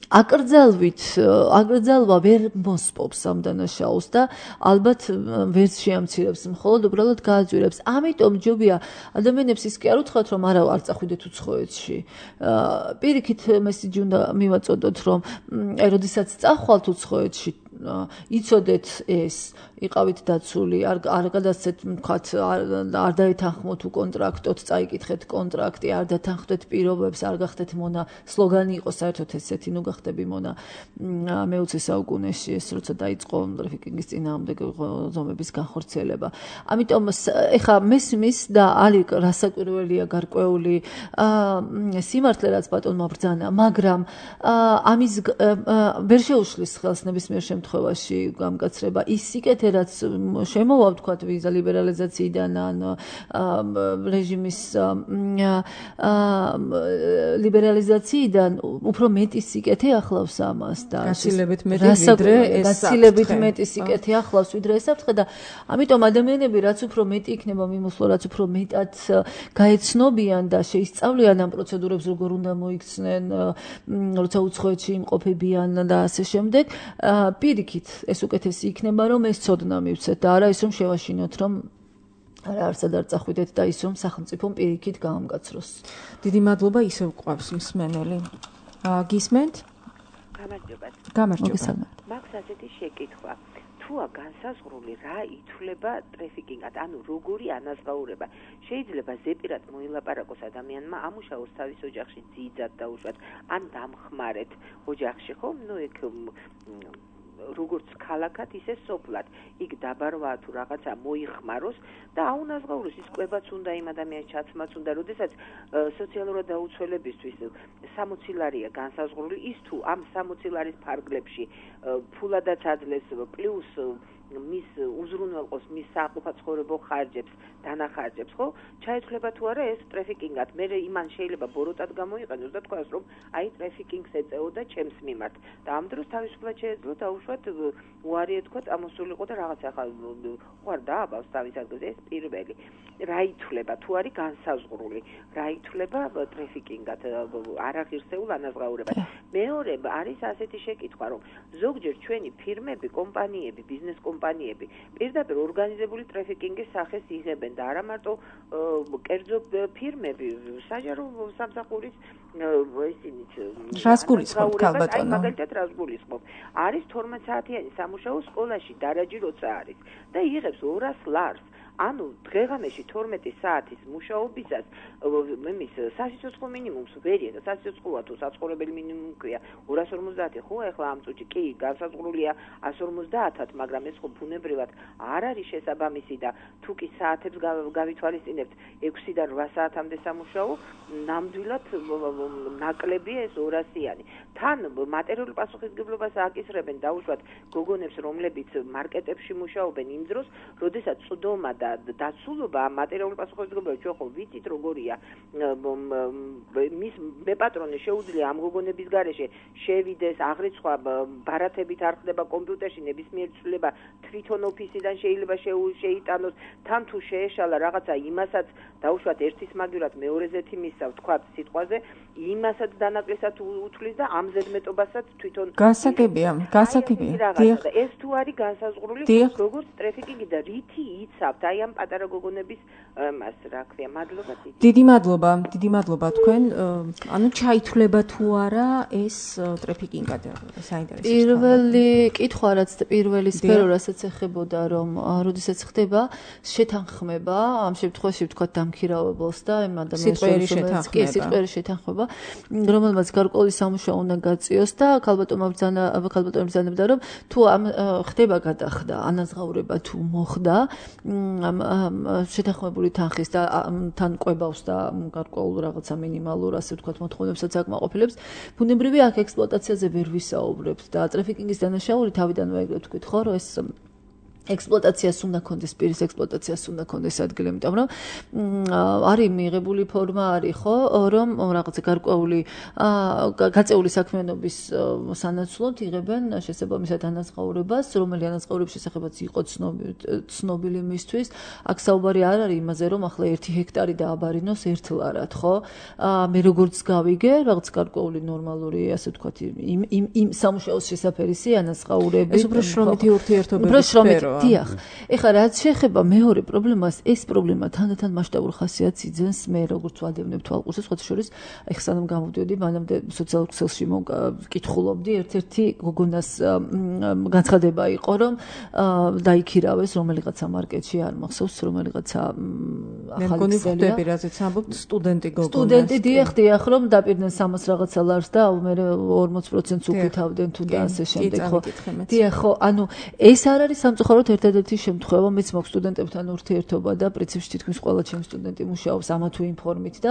აკრძალვა ვერ მოსპობს ამ დანაშაულს და ალბათ ვერც შეამცირებს, მხოლოდ უბრალოდ გააძვირებს. ამიტომ ჯობია ადამიანებს ის კი არ უთხრათ, რომ არა არ წახვიდეთ უცხოეთში. პირიქით მესიჯი უნდა მივაწოდოთ, რომ აი როდესაც წახვალთ უცხოეთში იცოდეთ ეს იყავით დაცული არ გადასცეთ თქვათ არ დაეთანხმოთ უკონტრაქტოთ წაიკითხეთ კონტრაქტი არ დათანხმდეთ პირობებს არ გახდეთ მონა სლოგანი იყო საერთოდ ესეთი ნუ გახდები მონა მე-20 საუკუნეში ეს როცა დაიწყო ტრაფიკინგის წინააღმდეგ ზომების განხორციელება ამიტომ ეხა მესმის და არის რასაკვირველია გარკვეული სიმართლე რაც ბატონმა ბრძანა მაგრამ ამის ვერ შეუშლის ხელს ნებისმიერ შემთხვევაში გამკაცრება ის სიკეთე რაც შემოვა ვთქვათ ვიზა ლიბერალიზაციიდან ან რეჟიმის ლიბერალიზაციიდან უფრო მეტი სიკეთე ახლავს ამას და გაცილებით მეტი სიკეთე ახლავს ვიდრე ეს საფრთხე და ამიტომ ადამიანები რაც უფრო მეტი იქნება მიმოსვლა რაც უფრო მეტად გაეცნობიან და შეისწავლიან ამ პროცედურებს როგორ უნდა მოიქცნენ როცა უცხოეთში იმყოფებიან და ასე შემდეგ პირიქით ეს უკეთესი იქნება რომ ეს ცოდნა მივცეთ და არა ის რომ შევაშინოთ რომ არა არსად არ წახვიდეთ და ის რომ სახელმწიფომ პირიქით გაამკაცროს. დიდი მადლობა ისევ გვყავს მსმენელი. გისმენთ? გამარჯობა. მაქვს ასეთი შეკითხვა. თუა განსაზღვრული რა ითვლება ტრაფიკინგად, ანუ როგორი ანაზღაურება. შეიძლება ზეპირად მოილაპარაკოს ადამიანმა ამუშაოს თავის ოჯახში ძიძად დაუშვათ, ან დამხმარეთ ოჯახში, ხო? ნუ ეგ როგორც ქალაქად ისე სოფლად იქ დაბარვა თუ რაღაცა მოიხმაროს და აუნაზღაუროს ის კვებაც უნდა იმ ადამიანის ჩაცმაც უნდა როდესაც სოციალურად დაუცველებისთვის 60 ლარია განსაზღვრული ის თუ ამ 60 ლარის ფარგლებში ფულადაც აძლევს პლუს მის უზრუნველყოს მის საყოფაცხოვრებო ხარჯებს დანახარჯებს, ხო? ჩაითვლება თუ არა ეს ტრაფიკინგად. მე იმან შეიძლება ბოროტად გამოიყენოს და თქვას, რომ აი ტრაფიკინგს ეწეოდა ჩემს მიმართ. და ამ დროს თავისუფლად შეეძლო დაუშვათ უარი ეთქვა, წამოსულიყო და რაღაც ახლა უარ დააბავს თავის ადგილზე ეს პირველი. რა ითვლება თუ არის განსაზღვრული, რა ითვლება ტრაფიკინგად, არაღირსეულ ანაზღაურებად. მეორე არის ასეთი შეკითხვა, რომ ზოგჯერ ჩვენი ფირმები, კომპანიები, ბიზნეს კომპანიები პირდაპირ ორგანიზებული ტრაფიკინგის სახეს იღებენ და არა მარტო კერძო ფირმები, საჯარო სამსახურის ისინიც რას გულისხმობთ ქალბატონო? აი მაგალითად რას გულისხმობ? არის 12 საათიანი სამუშაო სკოლაში დარაჯი როცა არის და იღებს 200 ლარს. ანუ დღეღამეში 12 საათის მუშაობისას მის სასიცოცხლო მინიმუმს ვერია და სასიცოცხლოა თუ საცხოვრებელი მინიმუმი ქვია 250 ხო ახლა ამ წუთში კი განსაზღვრულია 150-ად მაგრამ ეს ხო ბუნებრივად არ არის შესაბამისი და თუ კი საათებს გავითვალისწინებთ 6-დან 8 საათამდე სამუშაო ნამდვილად ნაკლებია ეს 200-იანი თან მატერიალური პასუხისმგებლობას ააკისრებენ დაუშვათ გოგონებს რომლებიც მარკეტებში მუშაობენ იმ დროს როდესაც წვდომა და დაცულობა მატერიალური პასუხისმგებლობა ჩვენ ხო ვიცით როგორია მის მეპატრონე შეუძლია ამ გოგონების გარეშე შევიდეს აღრიცხვა ბარათებით არ ხდება კომპიუტერში ნებისმიერი ცვლილება თვითონ ოფისიდან შეიძლება შეიტანოს თან თუ შეეშალა რაღაცა იმასაც დაუშვათ ერთის მაგივრად მეორეზე თიმისა ვთქვათ სიტყვაზე იმასაც დანაკლისად უთვლის და ამ ზედმეტობასაც თვითონ გასაგებია ეს თუ არის განსაზღვრული როგორც ტრაფიკინგი და რითი იცავთ აი ამ პატარა გოგონების მას რა ქვია მადლობა დიდი მადლობა თქვენ ანუ ჩაითვლება თუ არა ეს ტრაფიკინგად საინტერესო პირველი კითხვა რაც პირველი სფერო რასაც ეხებოდა რომ როდესაც ხდება შეთანხმება ამ შემთხვევაში ვთქვათ დამქირავებელს და იმ ადამიანს სიტყვიერი შეთანხმება რომელმაც გარკვეული სამუშაო უნდა გაწიოს და ქალბატონმა ბრძანებდა რომ თუ ამ ხდება გადახდა ანაზღაურება თუ მოხდა შეთანხმებული თანხის და თან ყვებავს და გარკვეულ რაღაცა მინიმალურ ასე ვთქვათ მოთხოვნებსაც აკმაყოფილებს ბუნებრივია აქ ექსპლუატაციაზე ვერ ვისაუბრებთ და ტრაფიკინგის დანაშაული თავიდანვე ეგრეთ ვთქვით ხო რომ ეს ექსპლუატაციას უნდა კონდეს პირის ექსპლუატაციას უნდა კონდეს ადგილი იმიტომ რომ არის მიღებული ფორმა არის ხო რომ რაღაცა გარკვეული გაწეული საქმიანობის სანაცვლოდ იღებენ შესაბამისად ანაზღაურებას რომელი ანაზღაურების შესახებაც იყო ცნობილი მისთვის აქ საუბარი არ არის იმაზე რომ ახლა 1 ჰექტარი დააბარინოს 1 ლარად ხო მე როგორც გავიგე რაღაც გარკვეული ნორმალური ასე ვთქვათ იმ სამუშაოს შესაფერისი ანაზღაურების ეს უფრო შრომითი ურთიერთობები დიახ. ეხლა რაც შეეხება მეორე პრობლემას, ეს პრობლემა თანდათან მასშტაბურ ხასიათს იძენს მე როგორც ვადევნებ თვალყურს, სხვათა შორის ეხლა სანამ გამოვდიოდი, მანამდე სოციალურ ქსელში მოკითხულობდი, ერთ-ერთი გოგონას განცხადება იყო, რომ დაიქირავეს რომელიღაცა მარკეტში, არ მახსოვს, რომელიღაცა ახალი ქსელია. რაზეც ამბობთ სტუდენტი გოგონა. სტუდენტი დიახ, რომ დაპირდნენ 300 რაღაცა ლარს და მე 40%-ს უკითავდნენ თუ და ასე შემდეგ, ხო. დიახ, ხო, ანუ ეს არ არის სამწუხაროდ ერთადერთი შემთხვევა, მეც მაქვს სტუდენტებთან ურთიერთობა და პრინციპში თითქმის ყველა ჩემი სტუდენტი მუშაობს ამა თუ იმ ფორმით და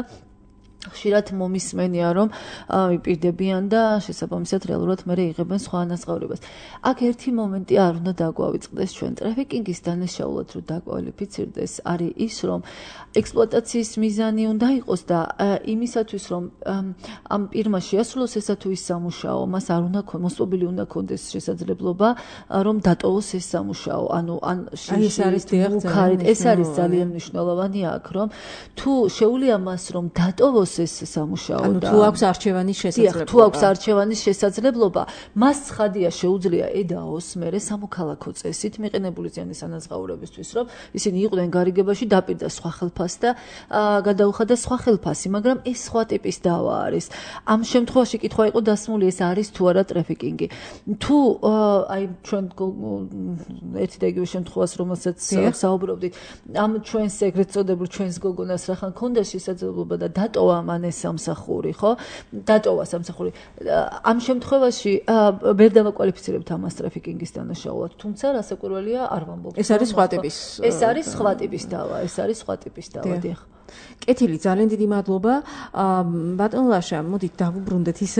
ხშირად მომისმენია რომ მიპირდებიან და შესაბამისად რეალურად მე იღებენ სხვა ანაზღაურებას. აქ ერთი მომენტი არ უნდა დაგვავიწყდეს ჩვენ ტრაფიკინგის დანაშაულად რომ დაკვალიფიცირდეს არის ის რომ ექსპლუატაციის მიზანი უნდა იყოს და იმისათვის რომ ამ პირმა შეასრულოს ესა თუ ის სამუშაო მას არ უნდა მოსწობილი უნდა კონდეს შესაძლებლობა რომ დატოვოს ეს სამუშაო ანუ ეს არის ძალიან მნიშვნელოვანი აქ რომ თუ შეუძლია მას რომ დატოვოს ეს სამუშაო ანუ და თუ აქვს არჩევანის შესაძლებლობა თუ აქვს არჩევანის შესაძლებლობა მას ცხადია შეუძლია ედაოს მერე სამოქალაქო წესით მიყენებული ზიანის ანაზღაურებისთვის რომ ისინი იყვნენ გარიგებაში დაპირდა სხვა ხელფას და გადაუხადა სხვა ხელფასი მაგრამ ეს სხვა ტიპის დავა არის ამ შემთხვევაში კითხვა იყო დასმული ეს არის თუ არა ტრაფიკინგი თუ აი ჩვენ ერთი და იგივე შემთხვევას რომელსაც საუბრობდით ამ ჩვენს ეგრეთ წოდებულ ჩვენს გოგონას რახან ქონდა შესაძლებლობა და დატოვა მან ეს სამსახური, ხო? დატოვა სამსახური. ამ შემთხვევაში ვერ დავაკვალიფიცირებთ ამას ტრაფიკინგის დანაშაულად, თუმცა რასაკვირველია არ ვამბობ. ეს არის სხვა ტიპის. ეს არის სხვა ტიპის დავა, დიახ. კეთილი, ძალიან დიდი მადლობა. ბატონ ლაშა, მოდით დავუბრუნდეთ ის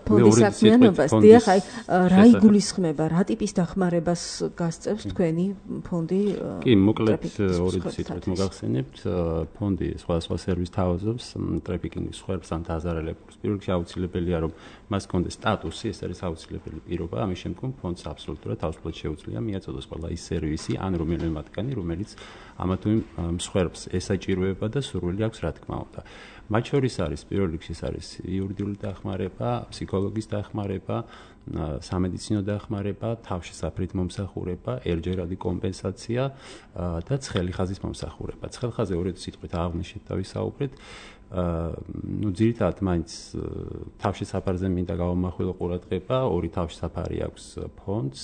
ფონდის საქმიანობას. დიახ, აი რა იგულისხმება, რა ტიპის დახმარებას გასწევს თქვენი ფონდი? კი, მოკლედ ორი სიტყვით მოგახსენებთ. ფონდი სხვადასხვა სერვისს თავაზობს ტრაფიკინგის სხვერპს ან დაზარალებულს. პირველ რიგში აუცილებელია, რომ მას კონდეს სტატუსი, ეს არის აუცილებელი პირობა. ამის შემდგომ ფონდს აბსოლუტურად თავისუფლად შეუძლია მიაწოდოს ყველა ის სერვისი ან რომელიმე მათგანი, რომელიც ამა თუ იმ სხვერპს ესაჭიროება და სურვილი აქვს, რა თქმა უნდა. მათ შორის არის პირველ რიგში არის იურიდიული დახმარება, ფსიქოლოგის დახმარება, სამედიცინო დახმარება, თავშესაფრით მომსახურება, ერჯერადი კომპენსაცია და ცხელი ხაზის მომსახურება. ცხელ ხაზზე ორი სიტყვით აღნიშნეთ და ვისაუბრეთ. ძირითადად მაინც თავშესაფარზე მინდა გავამახვილო ყურადღება, ორი თავშესაფარი აქვს ფონდს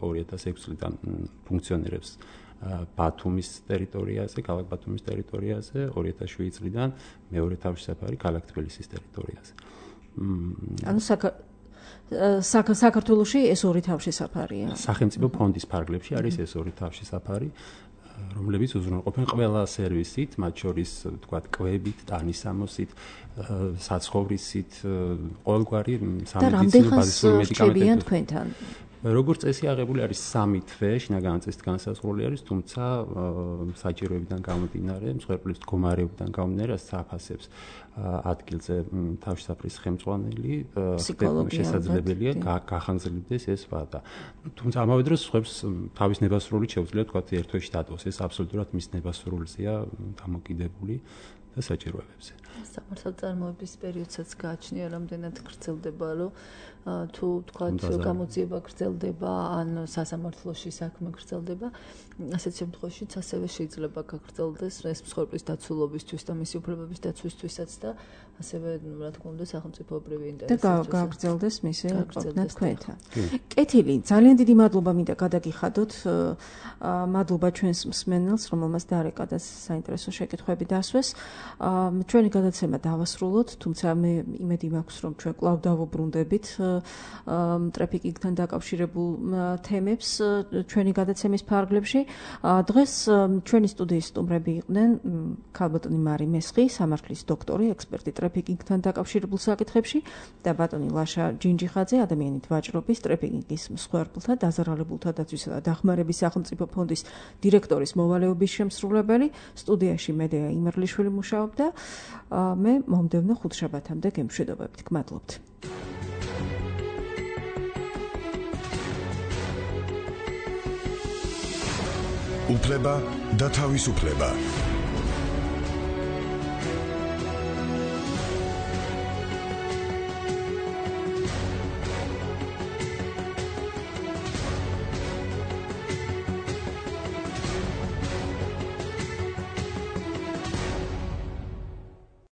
2006 წლიდან ფუნქციონირებს ბათუმის ტერიტორიაზე, ქალაქ ბათუმის ტერიტორიაზე, 2007 წლიდან მეორე თავშესაფარი ქალაქ თბილისის ტერიტორიაზე. ანუ საქართველოში ეს ორი თავშესაფარია. სახელმწიფო ფონდის ფარგლებში არის ეს ორი თავშესაფარი, რომლებიც უზრუნველყოფენ ყველა სერვისით, მათ შორის თქვათ კვებით, ტანისამოსით, საცხოვრისით, ყოველგვარი სამედიცინო ბაზისური მედიკამენტებით. თქვენთან როგორც წესი აღებული არის 3 თვე, შინაგანი წესით განსაზღვრული არის, თუმცა საჭიროებიდან გამომდინარე, მსხვერპლის მდგომარეობიდან გამომდინარე, საფასებს ადგილზე თავშესაფრის ხელმძღვანელი შესაძლებელია გახანგრძლივდეს ეს ვადა. თუმცა ამავე დროს სხვებს თავის ნებასრულით შეუძლია თქვათ ერთ თვეში დატოვოს, ეს აბსოლუტურად მის ნებასრულზეა დამოკიდებული და საჭიროებებზე. სამართალ წარმოების პერიოდსაც გააჩნია, რამდენად გრძელდება, რომ თუ თქვათ გამოძიება გრძელდება, ან სასამართლოში საქმე გრძელდება, ასეთ შემთხვევაშიც ასევე შეიძლება გაგრძელდეს ეს მსხვერპლის დაცულობისთვის და მისი უფლებების დაცვისთვისაც და ასევე, რა თქმა უნდა, სახელმწიფოებრივი ინტერესის. და გაგრძელდეს მისი ყოფნა თქვენთან. კეთილი, ძალიან დიდი მადლობა მინდა გადაგიხადოთ. მადლობა ჩვენს მსმენელს, რომელმაც დარეკა და საინტერესო შეკითხვები დასვეს. ჩვენი გადაცემა დავასრულოთ, თუმცა მე იმედი მაქვს, რომ ჩვენ კვლავ დავუბრუნდებით ტრაფიკინგთან დაკავშირებულ თემებს ჩვენი გადაცემის ფარგლებში. დღეს ჩვენი სტუდიის სტუმრები იყვნენ ქალბატონი მარი მესხი, სამართლის დოქტორი, ექსპერტი ტრაფიკინგთან დაკავშირებულ საკითხებში და ბატონი ლაშა ჯინჯიხაძე, ადამიანით ვაჭრობის, ტრაფიკინგის მსხვერპლთა, დაზარალებულთა დაცვისა და დახმარების სახელმწიფო ფონდის დირექტორის მოვალეობის შემსრულებელი. სტუდიაში მედეა იმერლიშვილი მუშაობდა. მე მომდევნო ხუთშაბათამდე გემშვიდობებით. გმადლობთ. უფლება და თავისუფლება.